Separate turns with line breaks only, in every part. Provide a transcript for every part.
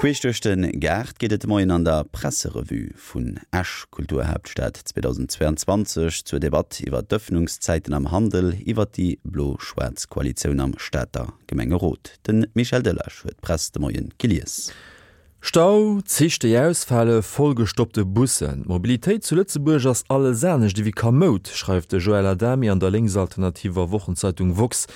Queesch duerch de Gaart geet et de Moien an der Presserevue vun Esch, Kulturhaaptstad 2022, zur Debatt iwwer d'Ëffnungszäiten am Handel, iwwer déi blo-schwaarz Koalitioun am Stater Gemengerot. De Michel Delage huet d'Press de Moie gelies.
Stau, Zich déi ausfale, vollgestoppte Bussen, d'Mobilitéit zu Lëtzebuerg ass alles anescht ewéi kamoud, schreift de Joël Adami an der lénksalternativer Wochenzeitung woxx.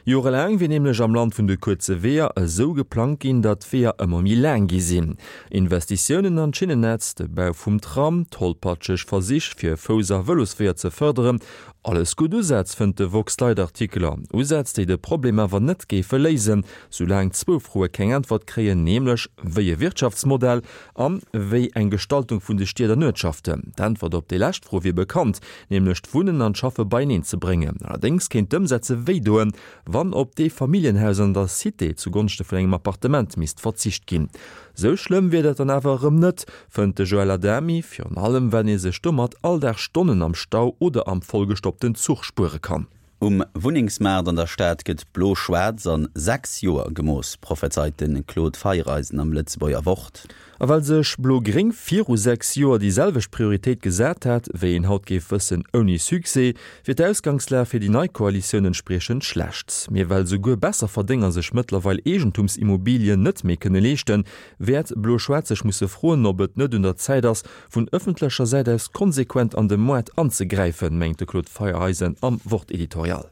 Jorelaang wier nämlech am Land vun de kuerze Weeër esou geplangt ginn, datt d'Weeër ëmmer méi laang gi sinn. Investitiounen an d'Schinnennetz, de Bau vum Tram, tollpatscheg Versich fir Fouss a Vëlosweeër ze fërderen, alles gutt Usätz, fënnt de woxx-Leitartikeler. Usätz, déi de Problem awer net géife léisen, Soulaang zwou Froe keng Äntwert kréien, nämlech wéi e Wirtschaftsmodell an wéi eng Gestaltung vun de Stied an Uertschaften. D'Äntwert op déi lescht Fro wier bekannt, nämlech d'Wunnen an d'Schaffe beieneen ze bréngen. Allerdéngs kéint d'Ëmsetze wéi doen, wann op d'Eefamilljenhaus an der Cité zu Gonschte vun engem Appartement misst verzicht ginn. Sou schlëmm wier dat dann awer erëm net, fënnt de Joël Adami, virun allem well ee sech domat all Dag Stonnen am Stau oder am vollgestoppten Zuch spuere kann.
Um Wunnengsmaart an der Stad gëtt blo-schwaarz an 6 Joer gemooss, prophezeit de Claude Feiereisen am Lëtzebuerger Wort.
A well sech blo-gréng viru 6 Joer déi selwecht Prioritéit gesat hat, wéi een haut géif wëssen, ouni Succès, wier d'Ausgangslag fir déi nei Koalitioun entspriechend schlecht. Mee well souguer Besserverdénger sech mëttlerweil Eegentumsimmobilien net méi kënne leeschten, wäert blo-schwaarz sech musse froen, ob et net un der Zäit ass, vun ëffentlecher Säit aus konsequent an de Moart anzegräifen, mengt de Claude Feiereisen am Wort-Editorial.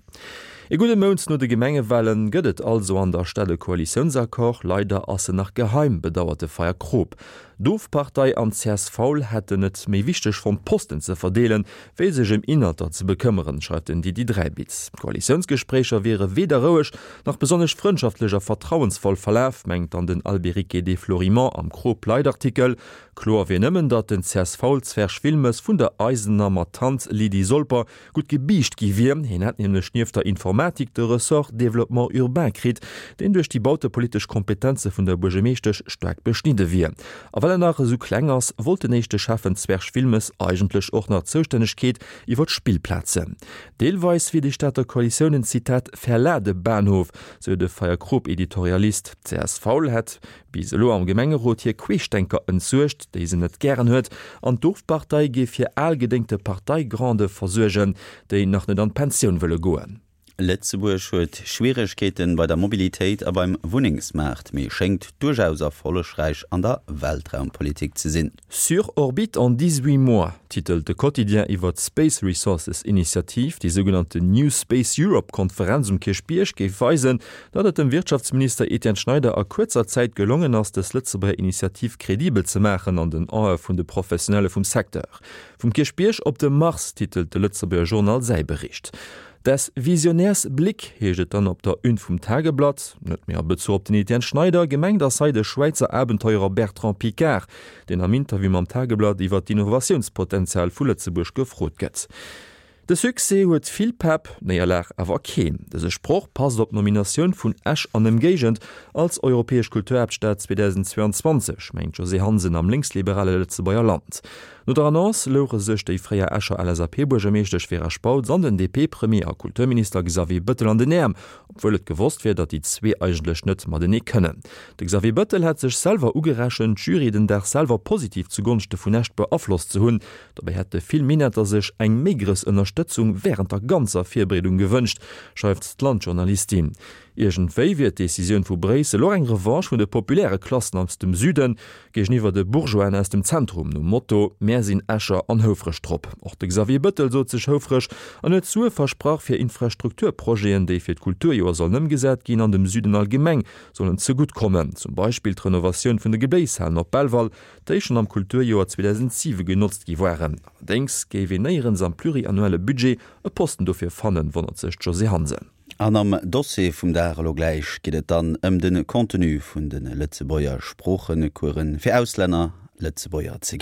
Ee gudde Mount no de Gemengewale gëtt et also an der Stad e Koalitiounsaccord. Leider ass en nach geheim, bedauert de Feyer Kroop. D'Ofpartei an d'CSV hätten et méi wichteg fonnt, Posten ze verdeelen, wéi sech ëm Inhalter ze bekëmmeren, schreift den Didi Dräibitz. D'Koalitiounsgespréicher wiere weder roueg, nach besonnesch frëndschaftlech a vertrauensvoll verlaf, mengt dann den Albéric de Florimont am Kroop-Leitartikel. Kloer wier nëmmen, datt den CSV-Zwerg Wilmes vun der eisener Matant Lydie Solper gutt gebiischt gi wier. Hien hätt nämlech nieft der Informatik de Ressort Développement urbain kritt, deen duerch déi bautepolitesch Kompetenze vun der Buergermeeschtesch staark beschnidde wier. A well en nach esou kleng ass, wollt den éischte Schäffen Zwerg Wilmes eigentlech och nach d'Zoustännegkeet iwwer d'Spillplazen. Deelweis wier déi Stater Koalitioun en, Zitat, Verladebahnhof, sou de Feierkrop-Editorialist. D'CSV hätt bis elo am Gemengerot hir Queeschdenker entsuergt, déi se net gären huet, an d'Ofpartei géif hir algedéngte Parteigrande versuergen, déi nach net an d'Pensioun wëlle goen.
Lëtzebuerg huet Schwieregkeeten bei der Mobilitéit a beim Wunnengsmaart, mee schéngt duerchaus erfollegräich an der Weltraumpolitik ze sinn.
Sur orbite en 18 mois, titelt de Quotidien iwwer d'Space Resources Initiativ. Déi sougenannten New Space Europe Konferenz um Kierchbierg géif weisen, datt et dem Wirtschaftsminister Etienne Schneider a kuerzer Zäit gelongen ass, dës Lëtzebuerger Initiativ kredibel ze maachen an den Ae vun de Professionelle vum Secteur. Vum Kierchbierg op de Mars, titelt de Lëtzebuerger Journal säi Bericht. Des Visionärs Blick heescht et dann op der Une vum Tageblatt, net méi a Bezuch op den Etienne Schneider, gemengt ass hei de Schwäizer Abenteurer Bertrand Piccard, deen am Interview mam Tageblatt iwwer d'Innovatiounspotenzial vu Lëtzebuerg gefrot gëtt. De Succès huet vill Pepp, d'Néierlag awer keen. Dëse Sproch passt op d'Nominatioun vun Esch an Ëmgéigend als europäesch Kulturhaaptstad 2022, mengt d'Josée Hansen am lénksliberale Lëtzebuerger Land. No der Annonce louche sech déi fréier Escher LSAP-Buergermeeschtesch Vera Spautz an den DP-Premier a Kulturminister Xavier Bëttel an den Äerm, obwuel et gewosst wier, datt déi zwee eigentlech net matenee kënnen. De Xavier Bëttel hätt sech selwer ugerechent, d'Jury den Dag selwer positiv zu Gonschte vun Esch beaflosst ze hunn. Dobäi hätte vill Minetter sech eng méi grouss Ënnerstëtzung wärend der ganzer Virbereedung gewënscht, schreift d'Land-Journalistin. Iergendwéi wier d'Decisioun vu Bréissel och eng Revanche vun de populäre Klassen aus dem Süden géigeniwwer de Bourgeoisen aus dem Zentrum, nom Motto, Mär sinn Escher an houfreg drop. Och de Xavier Bëttel sot sech houfreg an huet Sue versprach fir Infrastrukturprojeten, déi fir d'Kulturjoer sollen ëmgesat ginn an dem Süden allgemeng sollen zegutt kommen, zum Beispill d'Renovatioun vun de Gebléishalen op Belval, déi schonn am Kulturjoer 2007 genotzt gi waren. Allerdéngs géif een néierens am pluriannuelle Budget e Posten dofir fannen, wonnert sech d'Josée Hansen.
An am Dossier vum Dag elo gläich geet et dann ëm de Contenu vun de Lëtzebuerger Sproochecoursen fir Auslänner, Lëtzebuerger ze ginn.